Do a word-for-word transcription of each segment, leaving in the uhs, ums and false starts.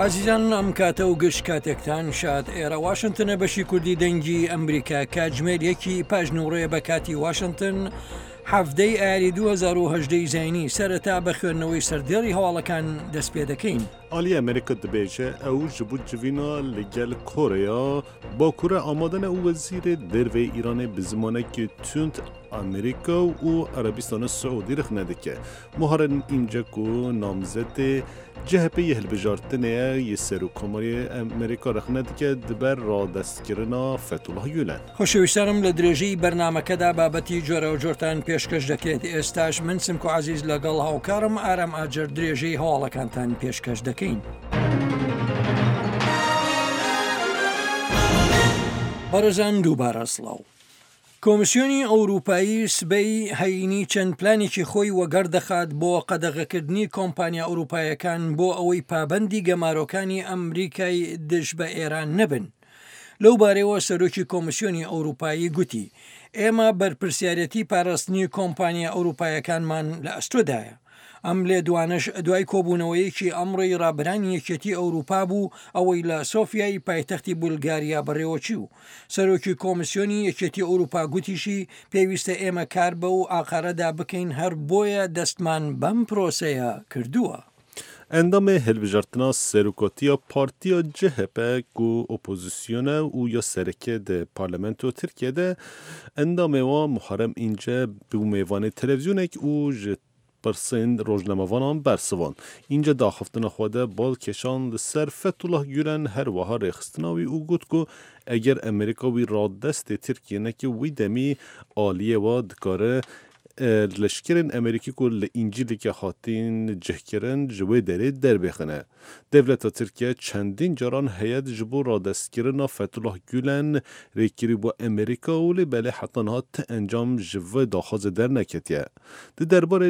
ئازیزان، ئەم کاتە و گشت کاتێکتان شاد. ئێرە واشنتنە، بەشی کوردی دەنگی ئەمریکا. کاتژمێر یەکی پاش نیوەڕۆیە بە کاتی واشنتن، حەڤدەی ئایاری دوو هەزار و هەژدە زایینی. سەرەتا بە خوێندنەوەی سەردێڕی هەواڵەکان دەست پێ دەکەین. Aliyê Amerîka dibêje ew ji bo civîna li gel Koreya Bakur amade ne û wezîrê derveyê Îranê bi zimanekî tund Amerîka û Erebistana Siûdî rexne dike. Muharrem Înce ku namzetê C H P yê hilbijartinê ye yê Serokkomarê Amerîka rexne dike di ber radestkirina Fethullah Gülen. خۆشەویستانم، لە درێژەی بەرنامەکەدا بابەتی جۆراوجۆرتان پێشکەش دەکرێت. ئێستاش من سمکۆ عزیز لەگەڵ هاوکارم ئارام ئاجەر درێژەی هەواڵەکانتان پێشکەش دەکەین. بەڕێزان، دووبارە سڵاو. کۆمیسیۆنی ئەوروپایی سبەی هەینی چەند پلانێکی خۆی وەگەڕ دەخات بۆ قەدەغەکردنی کۆمپانیا ئەوروپایەکان بۆ ئەوەی پابەندی گەمارۆکانی ئەمریکای دژ بە ئێران نەبن. لەو بارەوە سەرۆکی کۆمیسیۆنی ئەوروپایی گوتی: ئێمە بەرپرسیارەتی پاراستنی کۆمپانیا ئەوروپایەکانمان لە ئەستۆدایە. ئەم لێدوانەش دوای کۆبوونەوەیەکی ئەمڕۆی ڕابەرانی یەکێتی ئەوروپا بوو، ئەوەی لە سۆفیای پایتەختی بولگاریا بەڕێوەچوو. سەرۆکی کۆمیسیۆنی یەکێتی ئەوروپا گوتیشی: پێویستە ئێمە کار بەو ئاقارەدا بکەین، هەر بۆیە دەستمان بەم پرۆسەیە کردووە. Endamê hilbijartina serokatiya Partiya C H P ku opozîsyon e û ya sereke di parlamento Tirkiye de, endamê wan Muharrem Înce bû mêvanê televîzyonek û ji pirsên rojnamevanan bersivand. Înce di axaftina xwe de bal kişand li ser Fethullah Gülen, her wiha rêxistina wî û got ku eger Amerîka wî radestê Tirkiye neke, wî demî aliyê we dikare leşkerên Amerîkî ku li Încîrlîkê hatîn cihkirin ji wê derê derbêxine. Dewleta Tirkiye çendîn caran heyet ji bo radestkirina Fethullah Gülen rêkirî Amerîka û lê belê heta niha ti encam ji vê daxwazê derneketiye. Di derbarê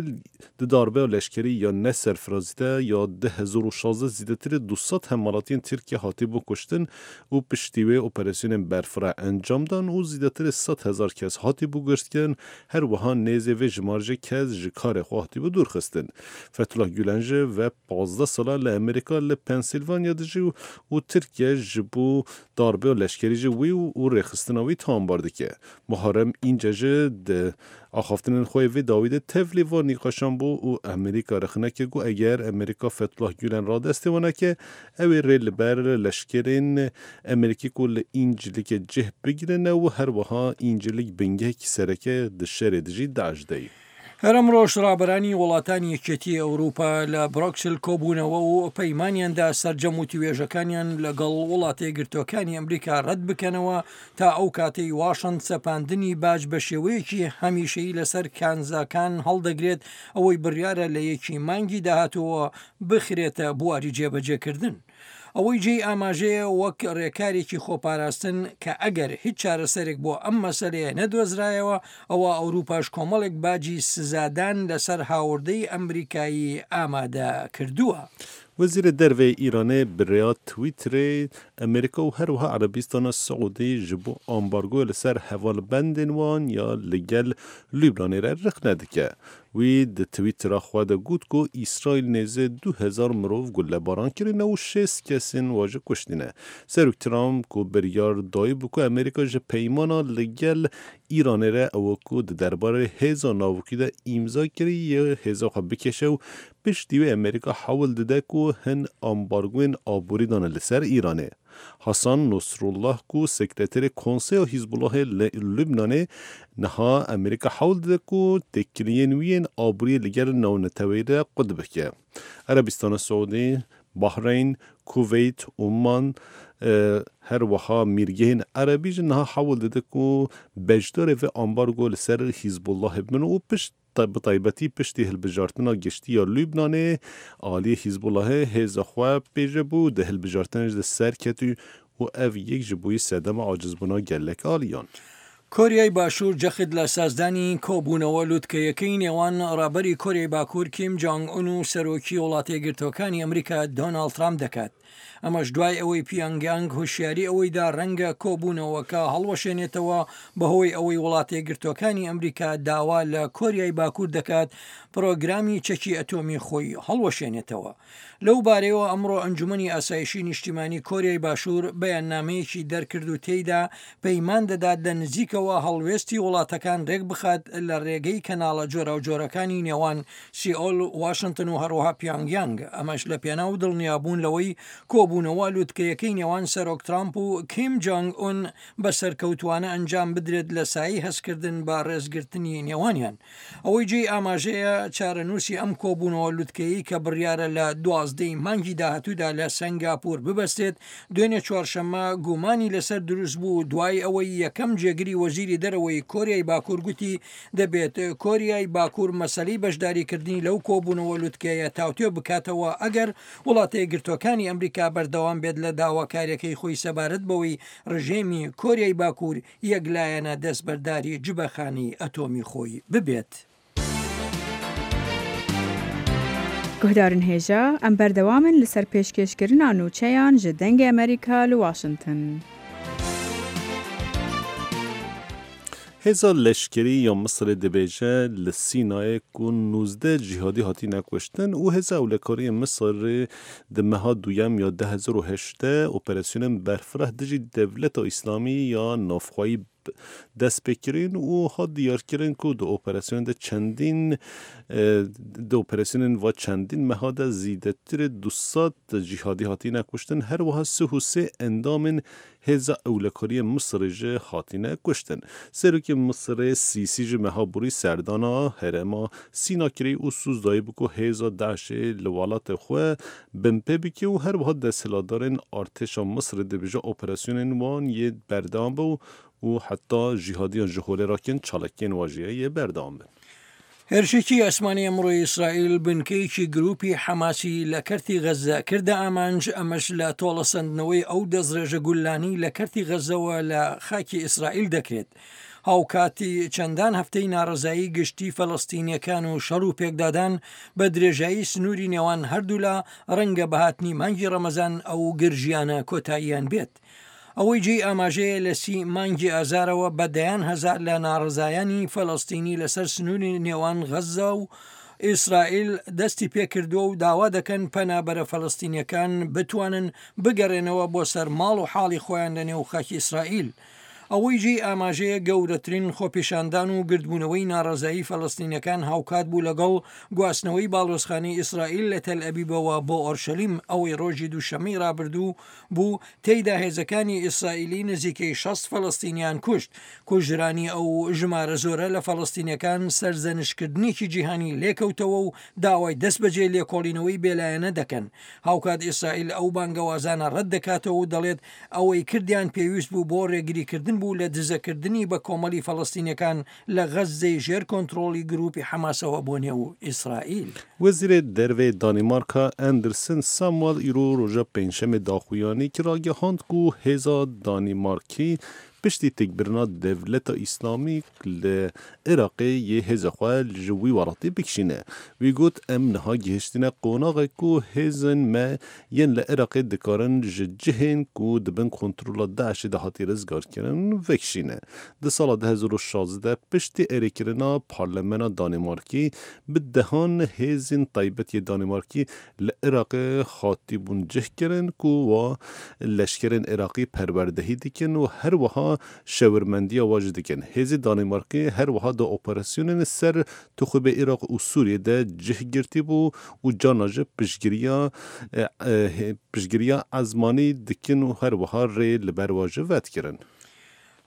di darbeya leşkerî ya ne serfirazî de ya du hezar û şazdeh zêdetirî du sed hemwelatiyên Tirkiye hatibû kuştin û piştî wê operasyonên berfireh encam dan û zêdetirî sed hezar kes hatibû girtin, her wiha nêzê vê jimarê kes ji karê xwe hatibû dûrxistin. Fethullah Gülen jî ve pazdeh sala li Amerîka li Pensîlvanya dijî û Tirkiye ji bo darbeya leşkerî jî wî û rêxistina wî tawanbar dike. Muharrem Înce jî di axaftinên xwe vê dawî de tevlî van nîqaşan bû û Amerîka rexne kir ku eger Amerîka Fethullah Gülen radestê wan neke, ew ê rê li ber leşkerên Amerîkî ku li Încîrlîkê cih bigirine û her wiha Încîrlîk bingehekî sereke di şerê dijî DAIŞ de ye. هەر ئەمڕۆش ڕابەرانی وڵاتانی یەکێتی ئەوروپا لە برۆکسل کۆبوونەوە و پەیمانیاندا سەرجەم وتوێژەکانیان لەگەڵ وڵاتە یەکگرتووەکانی ئەمریکا ڕەت بکەنەوە تا ئەو کاتەی واشنتن سەپاندنی باج بە شێوەیەکی هەمیشەیی لەسەر کانزاکان هەڵدەگرێت، ئەوەی بڕیارە لە یەکی مانگی داهاتووە بخرێتە بواری جێبەجێکردن. ئەوەی جێی ئاماژەیە، وەک ڕێکارێکی خۆپاراستن کە ئەگەر هیچ چارەسەرێک بۆ ئەم مەسەلەیە نەدۆزرایەوە، ئەوە ئەوروپاش کۆمەڵێک باجی سزادان لەسەر هاوردەی ئەمریکایی ئامادە کردووە. Wezîrê Derveyê Îranê bi rêya Twitterê Amerîka û her wiha Erebistana Siûdî ji bo ambargoya li ser hevalbendên wan ya li gel Lubnanê re rexne dike. Wî di Twittera xwe de got ku Îsraîl nêzî du hezar mirov gulebaran kirine û şêst kesên wan jî kuştine. Serok Trump ku biryar dayî bû ku Amerîka ji peymana li gel Îranê re ew ku di derbarê hêza navokî de îmza kiriye hêza xwe bikêşe û piştî wê Amerîka hewl dide ku hin ambargoyên aborî dane li ser Îranê. Hasan Nasrullah ku sekreterê Konseya Hizbullahê li Lubnanê, niha Amerîka hewl dide ku têkiliyên wî yên aboriyê li gel navneteweyî re qut bike. Erebistana Siûdî, Bahreyn, Kuveyt, Umman, her wiha Mîrgehên Erebî jî niha hewl dide ku beşdarê vê ambargo li ser Hizbullahê bibin û pişt bi taybetî piştî hilbijartina giştî ya Lubnanê aliyê Hizbullahê hêza xwe pêje bû, di hilbijartinê de ser ket û ev yek ji bûyî sedema acizbûna gelek aliyan. کۆریای باشوور جەخت لە سازدانی کۆبوونەوە لوتکەیەکەی نێوان ڕابەری کۆریای باکوور کیم جانگ ئون و سەرۆکی وڵاتە یەکگرتووەکانی ئەمریکا دۆناڵد ترامپ دەکات. ئەمەش دوای ئەوەی پیانگیانگ هۆشیاری ئەوەیدا ڕەنگە کۆبوونەوەکە هەڵوەشێنێتەوە، بەهۆی ئەوەی وڵاتە یەکگرتووەکانی ئەمریکا داوا لە کۆریای باکوور دەکات پرۆگرامی چەکی ئەتۆمی خۆی هەڵوەشێنێتەوە. لەو بارەیەوە ئەمڕۆ ئەنجومەنی ئاسایشی نیشتیمانی کۆریای باشوور بەیاننامەیەکی دەرکرد و تێیدا پەیمان دەدات لە نزیکەوە هەڵوێستی وڵاتەکان ڕێک بخات لە ڕێگەی کەناڵە جۆراوجۆرەکانی نێوان سیئۆل، واشنتن و هەروەها پیانگیانگ، ئەمەش لە پێناو دڵنیابوون لەوەی کۆبوونەوە لوتکەیەکەی نێوان سەرۆک ترامپ و کیم جۆنگ ئون بە سەرکەوتوانە ئەنجام بدرێت لە سایەی هەستکردن بە ڕێزگرتنی نێوانیان. ئەوەی جێی ئاماژەیە چارەنووسی ئەم کۆبوونەوە لوتکەیەی کە بڕیارە لە دوازدەی مانگی داهاتوودا لە سەنگاپور ببەستێت، دوێنێ چوارشەممە گومانی لەسەر دروست بوو دوای ئەوەی یەکەم جێگری وەزیری دەرەوەی کۆریای باکوور گوتی دەبێت کۆریای باکوور مەسەلەی بەشداریکردنی لەو کۆبوونەوە لوتکەیە تاوتوێ بکاتەوە ئەگەر وڵاتە یەکگرتووەکانی ئەمریکا بەردەوام بێت لە داواکاریەکەی خۆی سەبارەت بەوەی ڕژێمی کۆریای باکوور یەکلایەنە دەستبەرداری جبەخانەی ئەتۆمی خۆی ببێت. Guhdarên hêja, em berdewam in li ser pêşkêşkirina nûçeyan ji Dengê Amerîka li Washington. Hêza leşkerî ya Misirê dibêje li Sînayê ku nozdeh cîhadî hatine kuştin û hêza ewlekariyê Misirê di meha duyem ya du hezar û heştê operasyonên berfireh dijî Dewleta Îslamî ya navxweyî dest pê kirin û hat diyarkirin ku di operasyonê de çendîn di operasyonên va çendîn meha de zêdetir du sed cîhadî hatine kuştin, her wiha sih û sê endamên hêza ewlekariyê Misirê jî hatine kuştin. Serokê Misirê Sîsî ji meha borî serdana herêma Sîna kirî û soz dayî bû ku hêza Daişê li welatê xwe binpê bike û her wiha desthilatdarên artêşa Misirê dibêje operasyonên wan yê berdewam be û heta jîhadiyan ji holê rakin çalakiyên wan jî yê berdewam bin. هێرشێکی ئاسمانی ئەمڕۆی ئیسرائیل بنکەیەکی گروپی حەماسی لە کەرتی غەزە کردە ئامانج، ئەمەش لە تۆڵەسەندنەوەی ئەو دەستڕێژە گوللانەی لە کەرتی غەزەوە لە خاکی ئیسرائیل دەکرێت. هاوکاتی چەندان هەفتەی ناڕەزایی گشتی فەلەستینیەکان و شەڕ و پێکدادان بە درێژایی سنووری نێوان هەردوولا ڕەنگە بەهاتنی مانگی ڕەمەزان ئەو گرژیانە کۆتاییان بێت. ئەوەی جێی ئاماژەیە لە سی مانگی ئازارەوە بە دەیان هەزار لە ناڕەزایانی فەلەستینی لەسەر سنووری نێوان غەزە و ئیسرائیل دەستی پێکردووە و داوا دەکەن پەنابەرە فەلەستینیەکان بتوانن بگەڕێنەوە بۆ سەر ماڵ و حاڵی خۆیان لە نێو خاکی ئیسرائیل. ئەوەی جێی ئاماژەیە گەورەترین خۆپیشاندان و گردبوونەوەی ناڕەزایی فەلەستینیەکان هاوکات بوو لەگەڵ گواستنەوەی باڵۆزخانەی ئیسرائیل لە تەل ئەبیبەوە بۆ ئۆرشەلیم، ئەوەی ڕۆژی دووشەممەی ڕابردوو بوو تێیدا هێزەکانی ئیسرائیلی نزیکەی شەست فەلەستینیان کوشت. کوژرانی ئەو ژمارە زۆرە لە فەلەستینیەکان سەرزەنشکردنێکی جیهانی لێکەوتەوە و داوای دەستبەجێ لێکۆڵینەوەی بێلایەنە دەکەن. هاوکات ئیسرائیل ئەو بانگەوازانە ڕەت دەکاتەوە و دەڵێت ئەوەی کردیان پێویست بوو بۆ ڕێگریکردن بوو لە دزەکردنی بە کۆمەڵی فەلەستینیەکان لە غەززەی ژێر کۆنترۆڵی گروپی حەماسەوە بۆ نێو ئیسرائیل. وەزیرê Dervê Danîmarka Andersen Samuel îro roja pêncşemê daxuyanî kir ragihand ku hêza Danîmarkî piştî têkbirina Dewleta Îslamî li Iraqê yê hêza xwe ji wî welatî bikişîne. Wî got em niha gihiştine qonaxê ku hêzên me yên li Iraqê dikarin ji cihên ku di bin kontrola Daişê de hatî rizgarkirin vekişîne. Di sala du hezar û şazdeh piştî erêkirina Parlamena Danîmarkî bi dehan hêzên taybet yê Danîmarkî li Iraqê hatîbûn cihkirin ku wa leşkerên Iraqî perwerdehî dikin û her wiha şewirmendiya wa jî dikin. Hêzê Danîmarkê her wiha di operasyonên ser Tixûbê Iraq û Sûriyê de cih girtî bû û carna ji piştgiriya piştgiriya ezmanî dikin û her wiha rê li ber wa jî vedikirin.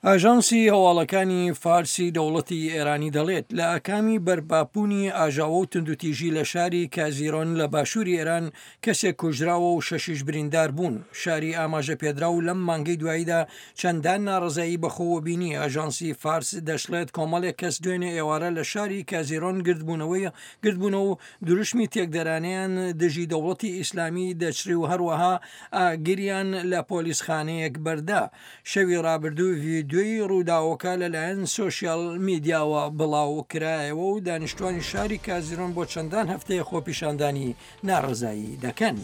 ئاژانسی هەواڵەکانی فارسی دەوڵەتی ئێرانی دەڵێت لە ئاکامی بەرپابوونی ئاژاوە و توندوتیژی لە شاری کازیرۆن لە باشووری ئێران کەسێک کوژراوە و شەشیش بریندار بوون. شاری ئاماژە پێدراو لەم مانگەی دواییدا چەندان ناڕەزایی بەخۆوە بینی. ئاژانسی فارس دەشڵێت کۆمەڵێک کەس دوێنێ ئێوارە لە شاری کازیرۆن گردبوونەوەی گردبوونەوە و دروشمی تێکدەرانیان دژی دەوڵەتی ئیسلامی دەچری و هەروەها ئاگریان لە پۆلیسخانەیەک بەردا. شەوی ڕابردوو ڤیدیۆی ڕووداوەکە لەلایەن سۆشیال میدیاوە بڵاو کرایەوە و دانیشتوانی شاری کازیرۆن بۆ چەندان هەفتەیە خۆپیشاندانی ناڕەزایی دەکەن.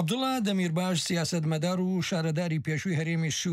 عەبدوڵا دەمیرباش سیاسەتمەدار و شارەداری پێشووی هەرێمی سوور